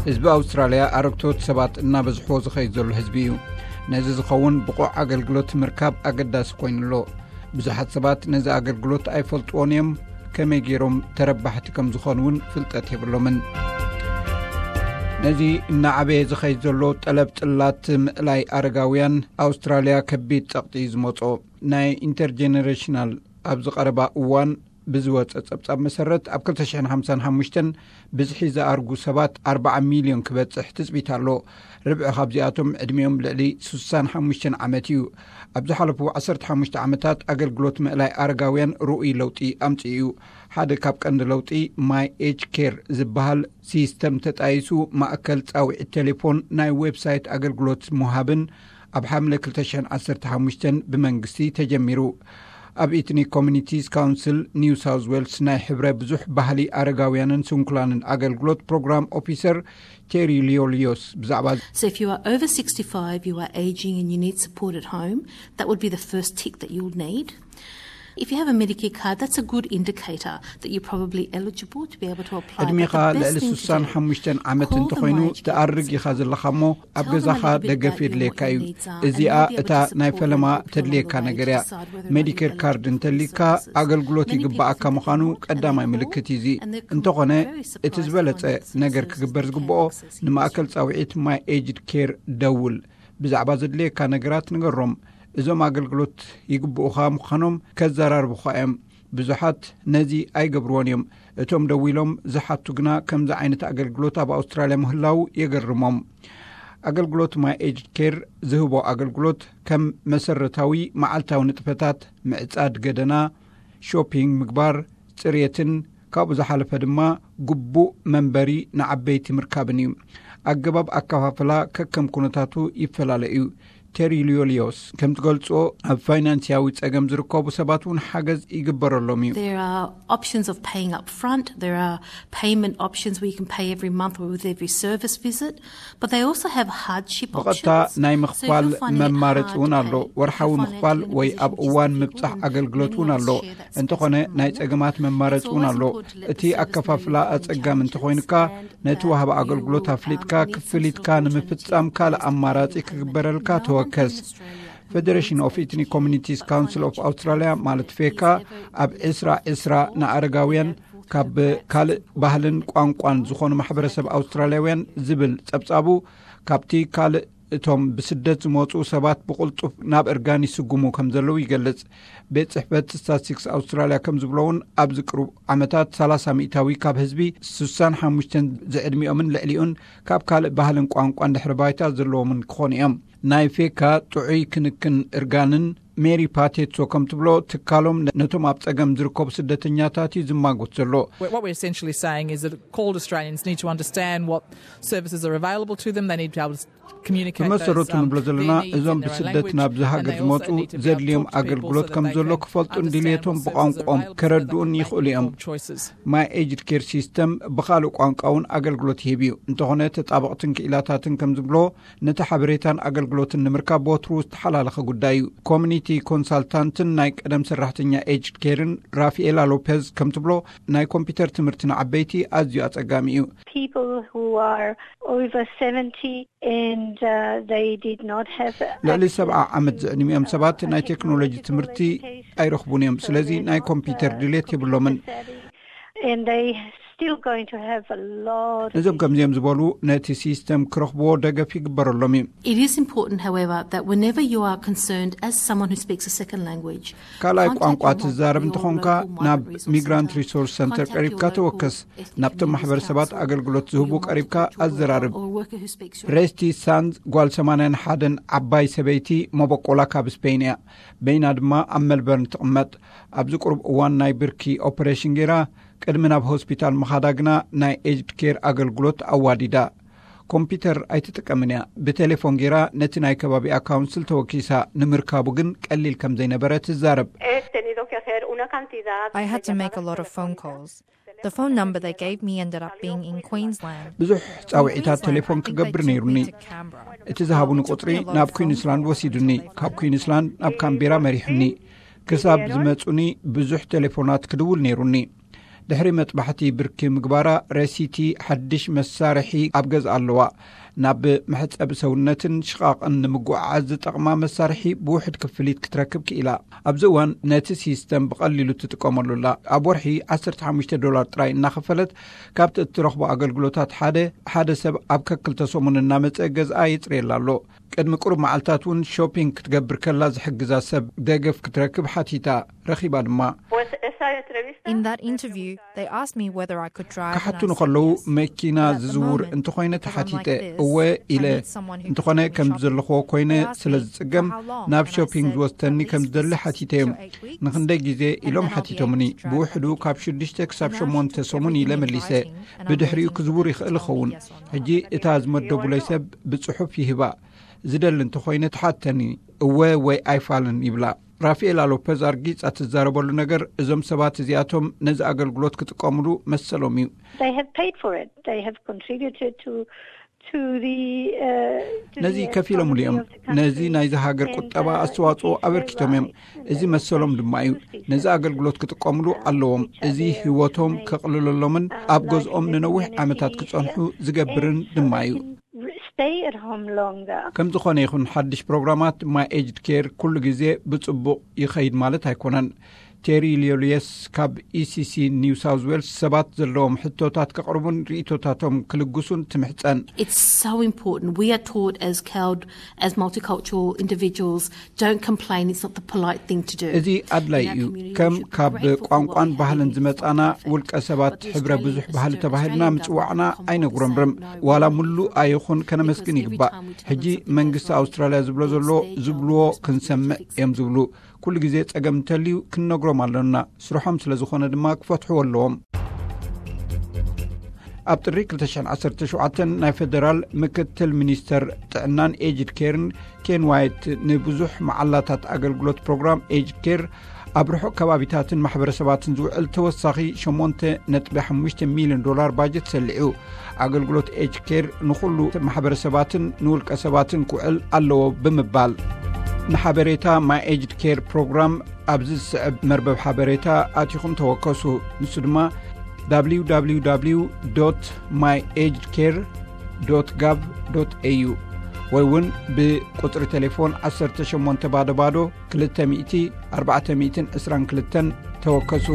ህዝቢ ኣውስትራልያ ኣረግቶት ሰባት እናበዝሕዎ ዝኸይድ ዘሎ ህዝቢ እዩ። ነዚ ዝኸውን ብቑዕ ኣገልግሎት ምርካብ ኣገዳሲ ኮይኑ ኣሎ። ብዙሓት ሰባት ነዚ ኣገልግሎት ኣይፈልጥዎን እዮም። ከመይ ገይሮም ተረባሕቲ ከም ዝኾኑ እውን ፍልጠት የብሎምን። ነዚ እናዓበየ ዝኸይድ ዘሎ ጠለብ ጽላት ምእላይ ኣረጋውያን ኣውስትራልያ ከቢድ ጸቕጢ እዩ ዝመጾ። ናይ ኢንተርጀነሬሽናል ኣብ ዝቐረባ እዋን ብዝወጸ ጸብጻብ መሰረት፣ ኣብ ክልተ ሽሕን ሓምሳን ሓሙሽተን ብዝሒ ዝኣርጉ ሰባት ኣርባዓ ሚልዮን ክበጽሕ ትጽቢት ኣሎ። ርብዒ ካብዚኣቶም ዕድሚኦም ልዕሊ ስሳን ሓሙሽተን ዓመት እዩ። ኣብ ዝሓለፉ ዓሰርተ ሓሙሽተ ዓመታት ኣገልግሎት ምእላይ ኣረጋውያን ርኡይ ለውጢ ኣምጽኡ እዩ። ሓደ ካብ ቀንዲ ለውጢ ማይ ኤጅ ኬር ዝበሃል ሲስተም ተጣይሱ፣ ማእከል ጻውዒት ቴሌፎን፣ ናይ ዌብሳይት ኣገልግሎት ምሃብን ኣብ ሓምለ ክልተ ሽሕን ዓሰርተ ሓሙሽተን ብመንግስቲ ተጀሚሩ። ኣብ ኢትኒክ ኮሚኒቲስ ካውንስል ኒው ሳውዝ ዌልስ ናይ ሕብረ ብዙሕ ባህሊ ኣረጋውያንን ስንኩላንን ኣገልግሎት ፕሮግራም ኦፊሰር ቴሪ ሊዮሊዮስ ብዛዕባ So if you are over sixty-five, you are aging and you need support at home, that would be the first tick that you'll need. If you have a Medicare card, that's a good indicator that you're probably eligible to be able to apply. But ዕድሜኻ the best ልዕሊ thing to ስሳን ሓሙሽተን ዓመት እንተኾይኑ፣ ትኣርግ ኢኻ ዘለኻ እሞ ኣብ ገዛኻ ደገፍ የድልየካ እዩ። እዚኣ እታ ናይ ፈለማ ተድልየካ ነገር እያ። ሜዲኬር ካርድ እንተሊካ፣ ኣገልግሎት ይግባኣካ ምዃኑ ቀዳማይ ምልክት እዩ። እዚ እንተኾነ፣ እቲ ዝበለጸ ነገር ክግበር ዝግብኦ፣ ንማእከል ጻውዒት ማይ ኤጅድ ኬር ደውል። ብዛዕባ ዘድልየካ ነገራት ንገሮም። እዞም ኣገልግሎት ይግብኡኻ ምዃኖም ከዘራርቡኻ እዮም። ብዙሓት ነዚ ኣይገብርዎን እዮም። እቶም ደዊሎም ዝሓቱ ግና ከምዚ ዓይነት ኣገልግሎት ኣብ ኣውስትራልያ ምህላው የገርሞም። ኣገልግሎት ማይ ኤጅድ ኬር ዝህቦ ኣገልግሎት ከም መሰረታዊ መዓልታዊ ንጥፈታት፣ ምዕጻድ ገደና፣ ሾፒንግ ምግባር፣ ጽሬትን ካብኡ ዝሓለፈ ድማ ግቡእ መንበሪ ንዓበይቲ ምርካብን እዩ። ኣገባብ ኣከፋፍላ ከከም ኩነታቱ ይፈላለ እዩ። ቴሪ ሊዮሊዮስ ከም ትገልጾ፣ ኣብ ፋይናንስያዊ ጸገም ዝርከቡ ሰባት እውን ሓገዝ ይግበረሎም እዩ። There are options of paying up front. There are payment options where you can pay every month or with every service visit. But they also have hardship ብቐጥታ ናይ ምኽፋል መማረፂ እውን ኣሎ። ወርሓዊ ምኽፋል ወይ ኣብ እዋን ምብጻሕ ኣገልግሎት እውን ኣሎ። እንተኾነ ናይ ጸገማት መማረፂ እውን ኣሎ። እቲ ኣከፋፍላ ኣጸጋሚ እንተኾይኑካ፣ ነቲ ወሃቢ ኣገልግሎት ኣፍሊጥካ ክፍሊትካ ንምፍጻም ካልእ ኣማራጺ ክግበረልካ ተወከስ። ፌደሬሽን ኦፍ ኢትኒክ ኮሚኒቲስ ካውንስል ኦፍ ኣውስትራልያ፣ ማለት ፌካ፣ ኣብ ዕስራ ዕስራ ንኣረጋውያን ካብ ካልእ ባህልን ቋንቋን ዝኾኑ ማሕበረሰብ ኣውስትራልያውያን ዝብል ጸብጻቡ፣ ካብቲ ካልእ እቶም ብስደት ዝመጹ ሰባት ብቕልጡፍ ናብ እርጋን ይስጉሙ ከም ዘለዉ ይገልጽ። ቤት ጽሕፈት ስታትስቲክስ ኣውስትራልያ ከም ዝብሎ እውን፣ ኣብዚ ቅሩብ ዓመታት ሰላሳ ሚእታዊ ካብ ህዝቢ ስሳን ሓሙሽተን ዝዕድሚኦምን ልዕሊኡን ካብ ካልእ ባህልን ቋንቋን ድሕሪ ባይታ ዘለዎምን ክኾኑ እዮም። ናይ ፌካ ጥዑይ ክንክን እርጋንን ሜሪ ፓቴትሶ ከም ትብሎ፣ ትካሎም ነቶም ኣብ ጸገም ዝርከቡ ስደተኛታት እዩ ዝማጎት ዘሎ። What we're essentially saying is that called Australians need to understand what services are available to them. They need to be able to communicate ብመሰረቱ ንብሎ ዘለና፣ እዞም ብስደት ናብዚ ሃገር ዝመፁ ዘድልዮም ኣገልግሎት ከም ዘሎ ክፈልጡን ድልየቶም ብቋንቋኦም ከረድኡን ይኽእሉ እዮም። ማይ ኤጅድ ኬር ሲስተም ብኻልእ ቋንቋ እውን ኣገልግሎት ይህብ እዩ። እንተኾነ፣ ተጣበቕትን ክኢላታትን ከም ዝብሎ፣ ነቲ ሓበሬታን ኣገልግሎትን ንምርካብ ወትሩ ዝተሓላለኸ ጉዳይ እዩ። ኮሚኒቲ ኮንሳልታንትን ናይ ቀደም ሰራሕተኛ ኤጅድ ኬርን ራፊኤላ ሎፔዝ ከም ትብሎ፣ ናይ ኮምፒውተር ትምህርቲ ንዓበይቲ ኣዝዩ ኣጸጋሚ እዩ። People who are over seventy and uh, they did not have ልዕሊ ሰብዓ ዓመት ዝዕድሚኦም ሰባት ናይ ቴክኖሎጂ ትምህርቲ ኣይረኽቡን እዮም። ስለዚ ናይ ኮምፒውተር ድሌት የብሎምን። And they still going to have a lot of ነዞም ከምዚኦም ዝበሉ ነቲ ሲስተም ክረኽብዎ ደገፍ ይግበረሎም እዩ። It is important, however, that whenever you are concerned as someone who speaks a second language, ካልኣይ ቋንቋ ትዛረብ እንተኾንካ፣ ናብ ሚግራንት ሪሶርስ ሰንተር ቀሪብካ ተወከስ። ናብቶም ማሕበረሰባት ኣገልግሎት ዝህቡ ቀሪብካ ኣዘራርብ። ሬስቲ ሳንዝ፣ ጓል ሰማንያን ሓደን ዓባይ ሰበይቲ፣ መበቆላ ካብ ስፔን እያ። በይና ድማ ኣብ መልበርን ትቕመጥ። ኣብዚ ቅሩብ እዋን ናይ ብርኪ ኦፐሬሽን ገይራ፣ ቅድሚ ናብ ሆስፒታል ምኻዳ ግና ናይ ኤጅድ ኬር ኣገልግሎት ኣዋዲዳ። ኮምፒውተር ኣይትጥቀምን እያ። ብቴሌፎን ገይራ ነቲ ናይ ከባቢኣ ካውንስል ተወኪሳ። ንምርካቡ ግን ቀሊል ከም ዘይነበረ ትዛረብ። He tenido que hacer una cantidad I had to make a lot of phone calls. The phone number they gave me ended up being in Queensland. ብዙሕ ጻውዒታት ቴሌፎን ክገብር ነይሩኒ። እቲ ዝሃቡኒ ቁጽሪ ናብ ኩዊንስላንድ ወሲዱኒ። ካብ ኩዊንስላንድ ናብ ካምቤራ መሪሑኒ። ክሳብ ዝመጹኒ ብዙሕ ቴሌፎናት ክድውል ነይሩኒ። ድሕሪ መጥባሕቲ ብርኪ ምግባራ፣ ረሲቲ ሓድሽ መሳርሒ ኣብ ገዛ ኣለዋ። ናብ መሕጸቢ ሰውነትን ሽቓቕን ንምጉዕዓዝ ዝጠቕማ መሳርሒ ብውሕድ ክፍሊት ክትረክብ ክኢላ። ኣብዚ እዋን ነቲ ሲስተም ብቐሊሉ ትጥቀመሉ ኣላ። ኣብ ወርሒ ዓሰርተ ሓሙሽተ ዶላር ጥራይ እናኸፈለት ካብቲ እትረኽቦ ኣገልግሎታት ሓደ፣ ሓደ ሰብ ኣብ ከክልተ ሰሙን እናመጸ ገዝኣ የጽርየላ ኣሎ። ቅድሚ ቁሩብ መዓልታት እውን ሾፒንግ ክትገብር ከላ ዝሕግዛ ሰብ ደገፍ ክትረክብ ሓቲታ፣ ረኺባ ድማ። In that interview, they asked me whether I could drive. ክሓቱኒ ከለዉ መኪና ዝዝውር እንተኾይነ ተሓቲተ፣ እወ ኢለ። እንተኾነ ከም ዘለኽዎ ኮይነ ስለ ዝጽገም፣ ናብ ሾፒንግ ዝወስደኒ ከም ዝደሊ ሓቲተዮም። ንኽንደይ ግዜ ኢሎም ሓቲቶምኒ። ብውሕዱ ካብ ሽዱሽተ ክሳብ ሸሞንተ ሰሙን ኢለ መሊሰ። ብድሕሪኡ ክዝውር ይኽእል ይኸውን። ሕጂ እታ ዝመደቡለይ ሰብ ብጽሑፍ ይህባ። ዝደሊ እንተኾይነ ትሓተኒ፣ እወ ወይ ኣይፋልን ይብላ። ራፋኤላ ሎፐዝ ኣርጊጻ ትዛረበሉ ነገር፣ እዞም ሰባት እዚኣቶም ነዚ ኣገልግሎት ክጥቀምሉ መሰሎም እዩ። They have paid for it. They have contributed to to the. ነዚ ከፊሎምሉ እዮም። ነዚ ናይዚ ሃገር ቁጠባ ኣስተዋፅኦ ኣበርኪቶም እዮም። እዚ መሰሎም ድማ እዩ። ነዚ ኣገልግሎት ክጥቀምሉ ኣለዎም። እዚ ህይወቶም ከቕልለሎምን ኣብ ገዝኦም ንነዊሕ ዓመታት ክጸንሑ ዝገብርን ድማ እዩ። Stay at home longer. ከም ዝኾነ ይኹን፣ ሓድሽ ፕሮግራማት ማይ ኤጅድ ኬር ኩሉ ግዜ ብጽቡቕ ይኸይድ ማለት ኣይኮነን። ቴሪ ሊዮልየስ ካብ ኢሲሲ ኒው ሳውዝ ዌልስ ሰባት ዘለዎም ሕቶታት ከቕርቡን ርእቶታቶም ክልግሱን ትምሕጸን። It's so important. We are taught as CALD, as multicultural individuals, don't complain, it's not the polite thing to do. እዚ ኣድላይ እዩ። ከም ካብ ቋንቋን ባህልን ዝመጻና ውልቀ ሰባት ሕብረ ብዙሕ ባህሊ ተባሂልና ምጽዋዕና ኣይነጉረምርም። ዋላ ምሉእ ኣይኹን ከነመስግን ይግባእ። ሕጂ መንግስቲ ኣውስትራልያ ዝብሎ ዘሎ ዝብልዎ ክንሰምዕ እዮም ዝብሉ። ኩሉ ግዜ ጸገም እንተልዩ ክንነግሮም ኣለና። ስርሖም ስለ ዝኾነ ድማ ክፈትሕዎ ኣለዎም። ኣብ ጥሪ ክልተ ሽሕን ዓሰርተ ሸውዓተን ናይ ፌደራል ምክትል ሚኒስተር ጥዕናን ኤጅድ ኬርን ኬን ዋይት ንብዙሕ መዓላታት ኣገልግሎት ፕሮግራም ኤጅድ ኬር ኣብ ርሑቕ ከባቢታትን ማሕበረሰባትን ዝውዕል ተወሳኺ ሸሞንተ ነጥቢ ሓሙሽተ ሚልዮን ዶላር ባጀት ሰሊዑ። ኣገልግሎት ኤጅድ ኬር ንኹሉ ማሕበረሰባትን ንውልቀ ሰባትን ክውዕል ኣለዎ ብምባል፣ ንሓበሬታ ማይ ኤጅድ ኬር ፕሮግራም ኣብዚ ዝስዕብ መርበብ ሓበሬታ ኣቲኹም ተወከሱ። ንሱ ድማ www my aged care gov au ወይ እውን ብቁጽሪ ቴሌፎን ዓሰርተ ሸሞንተ ባዶ ባዶ ክልተ ሚእቲ ኣርባዕተ ሚእትን ዕስራን ክልተን ተወከሱ።